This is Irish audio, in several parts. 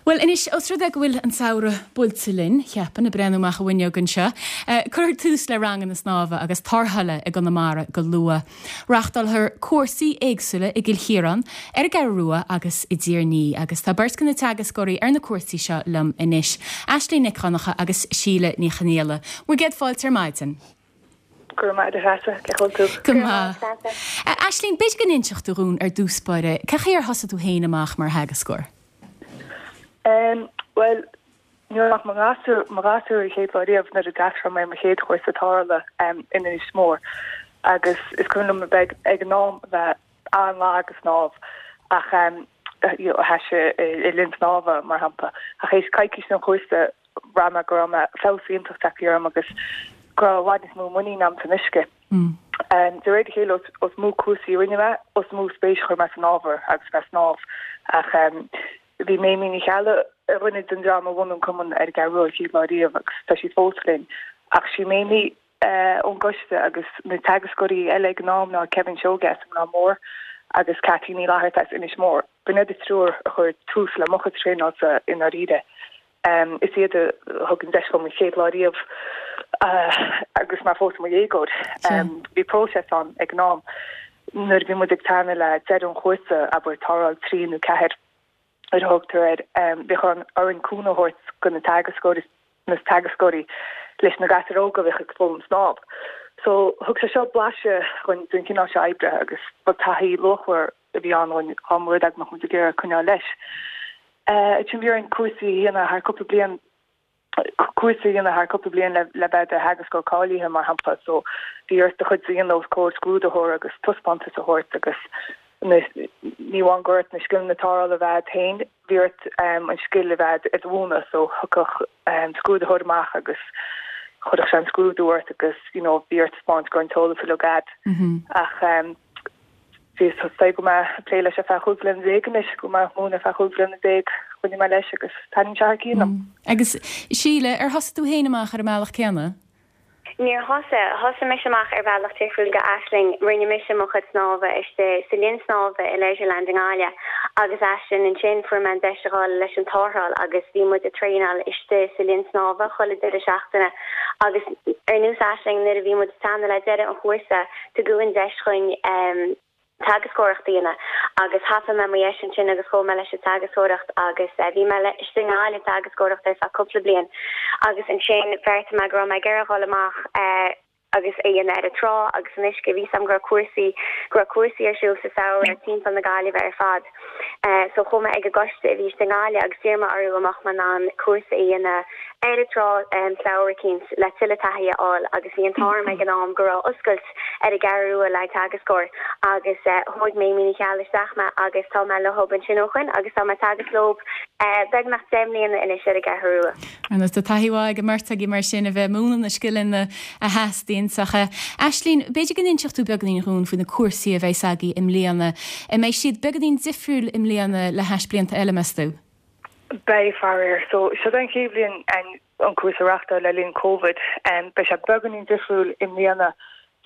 Bhuel, anois, os rud é go bhfuil an samhradh buailte linn, cheapfainn, ag breathnú amach an bhfuinneog anseo, cuirfear tús le ranganna snámha agus tarrthála i gConamara go luath. Reáchtálfar cúrsaí éagsúla i gCill Chiaráin, ar an gCeathrú Rua agus i dTír an Fhia agus tá beirt de na teagascóirí ar na cúrsaí seo liom anois, Aisling Nic Dhonncha agus Síle Ní Chonghaile. Bhur gcéad fáilte ar maidin. Go raibh maith agat, a Threasa. Cén chaoi a bhfuil tú? Go maith. Aisling, b'fhéidir go n-inseodh tú dhúinn ar dtús báire, cén chaoi ar thosaigh tú féin amach mar theagascóir? Bhuel, ní raibh ach mo ghasúr, mo ghasúr an chéad lá riamh nuair a d'fhreastail mé ar mo chéad chúrsa tarrthála in Inis Mór agus is cuimhin liom a bheith ag an am a bheith an-lag ag snámh ach you know thaise i linn snámha mar shampla. Ach théis coicís den chúrsa bhraith mé go raibh mé feabhas iontach tagtha orm agus go raibh i bhfad níos mó muinín agam san uisce. De réir a chéile is mó cúrsaí a rinne mé, is mó spéis a chuir mé san ábhar agus bheith ag snámh. Ach bhí Méimí Ní Cheallaigh ar dhuine den dream a bhunaigh an cumann ar an gCeathrú Rua an chéad lá riamh agus tá sí fós linn. Ach sí Méimí ón gcoiste agus na teagascóirí eile ag an am ná Kevin Seoige as an mBleá Mór agus Kathleen Ní Fhlatharta as Inis Mór. B'in iad an triúr a chuir tús le mo chuid traenáilte i ndáiríre. Is iad a thug an deis dhom an chéad lá riamh agus mé fós i mo dhéagóir. Bhí próiseas ann ag an am. Nuair a bhí muid ag teannadh le deireadh an chúrsa, abair tarrtháil 3 nó 4 mar a thugtar air, bhíodh orainn cúnamh a thabhairt do na teagascóirí na teagascóirí leis na gasúir óga a bhíodh ag foghlaim snámh. So thug sé seo blaiseadh dhúinn den chineál seo oibre agus ba taithí luachmhar a bhí ann dhúinn dá mba rud é go mbeadh muid ag iarraidh coinneáil leis. Ansin bhí orainn cúrsaí a dhéanamh thar cúpla bliain, cúrsa a dhéanamh thar cúpla bliain le le bheith i do theagascóir cáilithe mar shampla. So bhí ort do chuid a dhéanamh os comhair scrúdaitheora agus taispeántas a thabhairt agus na, ní amháin go raibh ort na scileanna tarrthála a bheith agat féin, bhí ort an scil a bheith agat i do mhúineadh. So thiocfadh scrúdaitheoir amach agus chuirfeadh sé an scrúdú ort agus you know bhí ort taispeáint go raibh an t-eolas uilig agat. Ach Bhí is dóigh go raibh mé ag plé leis ar feadh 15 bliana anois, go raibh mé ag múineadh ar feadh 15 bliana, choinnigh mé leis agus taitníonn sé thar cionn liom. Agus Síle, ar thosaigh tú féin amach ar an mbealach céanna? Níor thosaigh. Thosaigh mise amach ar bhealach difriúil go Aisling. Rinne mise mo chuid snámha istigh sa linn snámha i Leisureland i nGaillimh agus ansin ansin fuair mé an deis a dhul leis an tarrtháil agus bhí muid ag traenáil istigh sa linn snámha chuile deireadh seachtaine agus ar nós Aisling nuair a bhí muid ag teannadh le deireadh an chúrsa Tugadh an deis dhuinn teagascóireacht a dhéanamh agus thapaigh mé mo dheis ansin agus chuaigh mé leis an teagascóireacht agus bhí mé istigh i nGaillimh ag teagascóireacht ar feadh cúpla bliain agus ansin bheartaigh mé go raibh mé ag iarraidh dhul amach agus é a dhéanamh ar an trá agus san uisce. Bhí 'fhios a'm go raibh cúrsaí, go raibh cúrsaí ar siúl sa samhradh timpeall na Gaillimhe ar fad. So chuaigh mé ag an gcoiste a bhí istigh i nGaillimh agus d'iarr mé orthu an mbeadh mé in ann cúrsa a dhéanamh ar an trá samhradh eicínt le tuilleadh taithí a fháil agus bhí an t-ádh orm ag an am go raibh oscailt ar an gCeathrú Rua le teagascóir agus thóg Méimí Ní Cheallaigh isteach mé agus tá mé leob ansin ó shoin agus tá mé ag teagasc leob beagnach 10 mbliana anois ar an gCeathrú Rua. Ar nós tá taithí mhaith ag an mbeirt agaibh mar sin a bheith ag múineadh na scileanna a theastaíonn. Ach Aisling, b'fhéidir go n-inseodh tú beagáinín dhúinn faoi na cúrsaí a bheas agaibh i mbliana. An mbeidh siad beagáinín difriúil i mbliana le hais blianta eile, meas tú? Beidh, faraor. So, seo é an chéad bhliain an cúrsa a reáchtáil le linn Covid. Beidh sé beagáinín difriúil i mbliana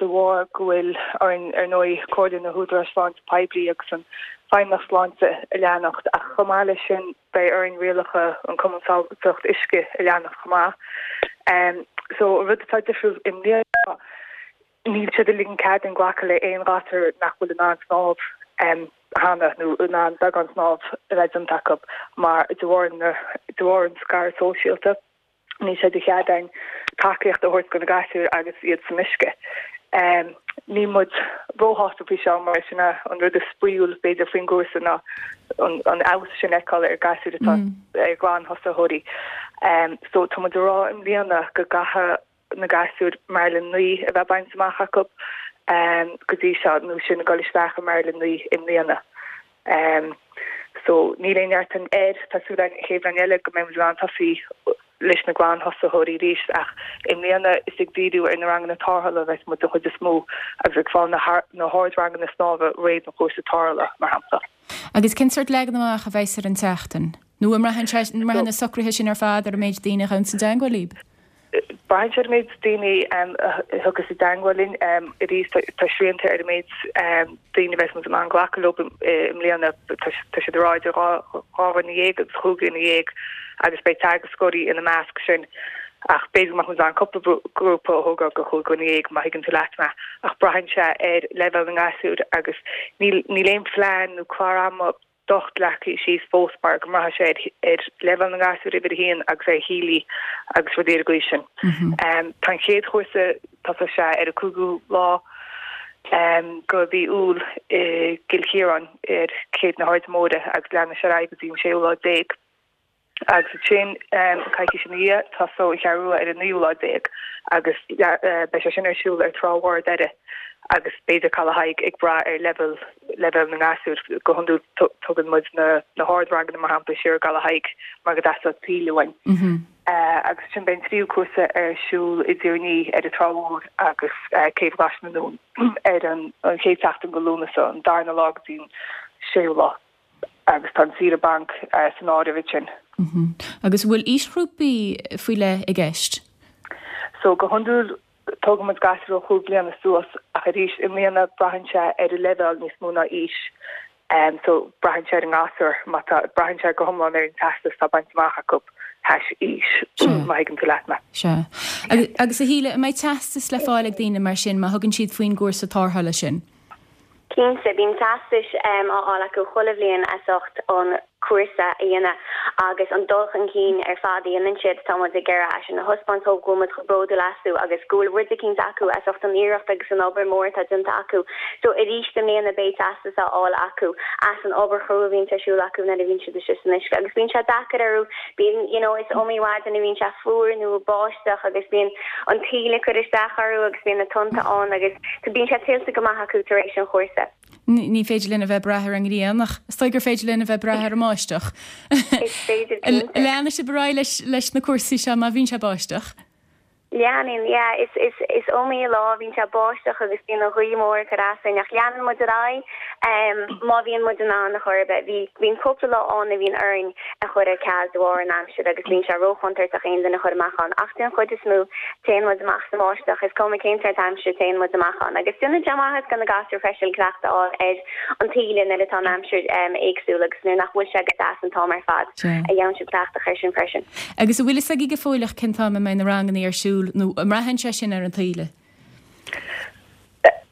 de bharr go bhfuil orainn, ar ndóigh, comhairle na hÚdaráis Sláinte Poiblí agus an Feidhmeannacht Sláinte a leanacht, ach chomh maith leis sin beidh orainn rialacha an Cumann Sábháilteacht Uisce a leanacht chomh maith. So, an rud atá difriúil i mbliana ná níl siad ag ligean cead dúinn glacadh le aon ghasúr nach bhfuil in ann snámh cheana nó in ann beagán snámh a bheith déanta acu mar de bharr na, de bharr an scaradh sóisialta. Níl sé de chead againn tacaíocht a thabhairt do na gasúir agus iad san uisce. Níl muid róshásta faoi seo mar sin é an rud is spraíúil b'fhéidir faoin gcúrsa ná an fheabhas sin a fheiceáil ar ghasúir atá ar ghlanthosaitheoirí. So tá muid ag rá i mbliana go gcaithfidh na gasúir Marlin 9 a bheith bainte amach acu go dtí seo nó sinn ag dul isteach i Marlin 9 i mbliana. So, níl aon neart air. Tá súil againn an chéad bhliain eile go mbeidh muid in ann tosaí leis na glanthosaitheoirí arís ach i mbliana is ag díriú ar na ranganna tarrthála a bheas muid den chuid is mó agus ag fáil na hardranganna snámha réidh don chúrsa tarrthála, mar shampla. Agus cén sórt leagan amach a bheas ar an tseachtain? Nó an mbraitheann sé, an mbraitheann na socruithe sin ar fad ar an méid daoine a ghabhanns i dteagmháil libh? Braitheann sé ar an méid daoine a thiocfas i dteangmháil linn. Arís, tá srianta ar an méid daoine a bheas muid in ann glacadh leo i mbliana. Tá siad ag rá idir 12 dhuine agus chúig dhuine dhéag agus beidh teagascóirí ina measc sin. Ach b'fhéidir go mbeadh muid in ann cúpla grúpa a thógáil go chúig dhuine dhéag, má thuigeann tú leat mé. Ach braitheann sé ar leibhéal na ngasúr agus níl aon phlean nó clár ama docht leagtha síos fós mar go mbraithfidh sé ar leibhéal na ngasúr uimhir a haon agus ar thaoilí agus rudaí ar an gcaoi sin. Tá an chéad chúrsa, tosóidh sé ar an 5ú lá go mhí Iúil i gCill Chiaráin ar Chéibh na hAirde Móire agus leanfaidh sé ar aghaidh go dtí an séú lá déag. Agus ansin, coicís ina dhiaidh, tosóidh an Cheathrú Rua ar an naoú lá déag agus beidh sé sin ar siúl ar Trá Mhór Doire agus b'fhéidir Caladh Thaidhg ag brath ar leibhéal leibhéal na ngasúr. Go hiondúil tugann muid na na hardranganna mar shampla siar i gCaladh Thaidhg mar go dteastódh taoille uainn. Agus ansin beidh an tríú cúrsa ar siúl i dTír an Fhia ar an Trá Mhór agus Céibh Ghlais na nDún ar an chéad seachtain go Lúnasa, an darna lá go dtí an séú lá. agus tá an saoire bainc san áireamh ansin. Agus an bhfuil aoisghrúpaí faoi leith i gceist? So go hiondúil tógann muid gasúir ó chúig bliana suas ach arís i mbliana braitheann sé ar an leibhéal níos mó ná aois. So braitheann sé ar an ngasúr má tá, braitheann sé go hiomlán ar an teastas atá bainte amach acu th'éis aois, má thuigeann tú leat mé. Sea. Agus a Shíle, an mbeidh teastas le fáil ag daoine mar sin má thugann siad faoin gcúrsa tarrthála sin? Cinnte, bíonn teastais á fháil acu chuile bhliain as ucht an cúrsa a dhéanamh agus an dul chun cinn ar fad a dhéanann siad. Tá muid ag iarraidh é sin a thaispeáint dóibh, go bhfuil muid chomh bródúil astu agus go bhfuil rud eicínt acu as ucht an iarracht agus an obair mór atá déanta acu. So arís i mbliana beidh teastas á fháil acu as an obair chrua a bhíonns ar siúl acu nuair a bhíonn siad istigh san uisce agus bíonn sé deacair orthu, bíonn, you know, is iomaí mhaidin a bhíonn sé fuar nó ag báisteach agus bíonn an taoille ag cur isteach orthu agus bíonn na tonnta ann agus bíonn sé tuillte go maith acu tar éis an chúrsa. Ní féidir linn a bheith ag brath ar an ngrian ach is dóigh gur féidir linn a bheith ag brath ar an mbáisteach. Is féidir, cinnte. Leanfaidh sibh ar aghaidh leis na cúrsaí seo má bhíonn sé ag báisteach? Leanann, yeah. Is, is, is iomaí lá a bhíonn sé ag báisteach agus bíonn an ghaoth mór ag cur as dúinn ach leanann muid ar aghaidh má bhíonn muid in ann a chor ar bith. Bhí, bíonn cúpla lá ann a bhíonn orainn a chur ar ceal de bharr an aimsir agus bíonn sé róchontúirteach aon duine a chur amach ann ach den chuid is mó téann muid amach sa mbáisteach, is cuma cén sórt aimsire téann muid amach ann agus déanann sé maitheas do na gasúir freisin cleachtadh a fháil ar an taoille nuair atá an aimsir éagsúil agus nuair nach bhfuil sé go deas an t-am ar fad a gheobhann siad cleachtadh air sin freisin. Agus an bhfuil fhios agaibh go fóilleach cén t-am a mbeidh na ranganna ar siúl nó an mbraitheann sé sin ar an taoille?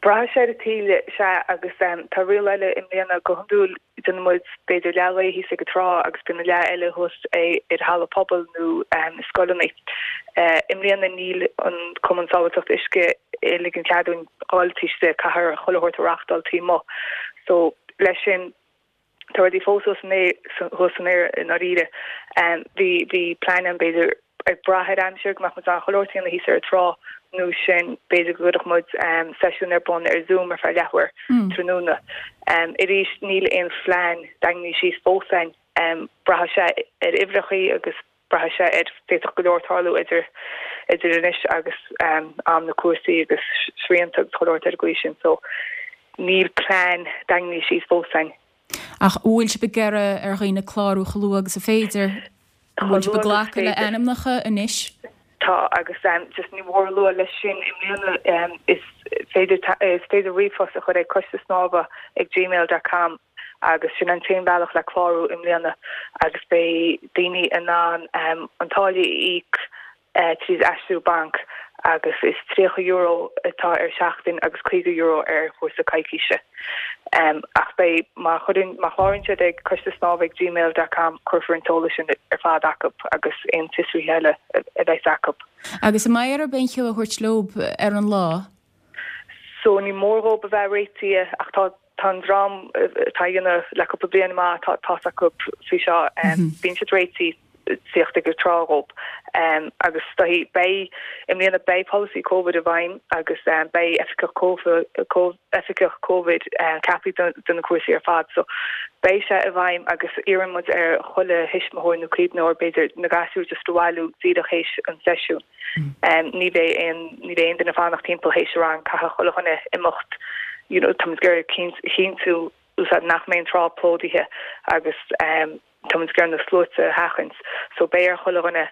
Braitheann sé ar an taoille, sea, agus tá riail eile i mbliana, go hiondúil déanann muid b'fhéidir leath lae thíos ag an trá agus bíonn an leath eile thuas ar halla pobail nó i scoileanna. I mbliana níl an Cumann Sábháilteachta Uisce ag ligean cead dúinn dhul taobh istigh, caithfear chuile shórt a reachtáil taobh amuigh. So leis sin Tá rudaí fós thuas san aer, thuas san aer i ndáiríre. Bhí, bhí plean ann b'fhéidir ag brath ar aimsir go mbeadh muid in ann chuile shórt a dhéanamh thíos ar an trá nó sin b'fhéidir go gcuirfeadh muid seisiún ar bun ar Zoom ar feadh leathuair tráthnóna. Arís níl aon phlean daingnithe síos fós againn. Braithfidh sé ar uimhreachaí agus braithfidh sé ar, d'fhéadfadh go leor tarlú idir, idir anois agus am na cúrsaí agus srianta agus chuile shórt ar an gcaoi sin so níl plean daingnithe síos fós againn. Ach an bhfuil sibh ag iarraidh ar dhaoine clárú chomh luath agus is féidir? An bhfuil sibh ag glacadh le ainmneacha anois? Tá agus just ní mór a lua leis sin i mbliana is féidir is féidir ríomhphost a chur ag coiste snámha ag gmail dot com agus sin an t-aon bhealach le clárú i mbliana agus beidh daoine in ann an táille a íoc tríd aistriú bainc agus is €30 atá ar seachtain agus €50 ar chúrsa coicíse. Ach beidh, má chuireann, má chláraíonn siad ag coiste snámha ag gmail dot com cuirfear an t-eolas sin ar fad acu agus aon fiosruithe eile a bheas acu. Agus an mbeidh orthu aon cheo a thabhairt leob ar an lá? So ní mór dhóib a bheith réitithe ach tá tá an dream atá á dhéanamh le cúpla bliain amach tá tá's acu faoi seo bíonn siad réitithe tíocht ag an trá dhóib agus beidh i mbliana beidh polasaí Covid i bhfeidhm agus beidh oifigeach oifigeach Covid ceaptha do na cúrsaí ar fad so beidh sé i bhfeidhm agus iarrann muid ar chuile thuismitheoir nó caomhnóir b'fhéidir na gasúir just a bhailiú díreach théis an seisiún. Ní bheidh aon, ní bheidh aon duine ag fanacht timpeall théis an rang, caithfidh chuile dhuine imeacht, you know, táimid ag iarraidh a chinntiú úsáid nach mbeidh an trá plódaithe agus táimid ag iarraidh na sluaite a sheachaint. So beidh ar chuile dhuine.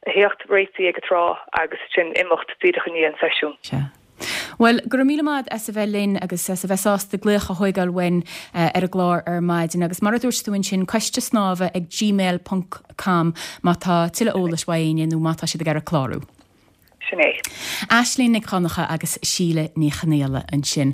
A theacht réitithe ag an trá agus ansin imeacht díreach i ndiaidh an seisiún. Sea. Bhuel, go raibh míle maith agat as a bheith linn agus as a bheith sásta glaoch a thóigeáil uainn ar an gclár ar maidin. Agus mar a dúirt tú ansin, coiste snámha ag gmail ponc com má tá tuilleadh eolais uaidh éinne nó má tá siad ag iarraidh clárú. Sin é. Aisling Nic Dhonncha agus Síle Ní Chonaola ansin.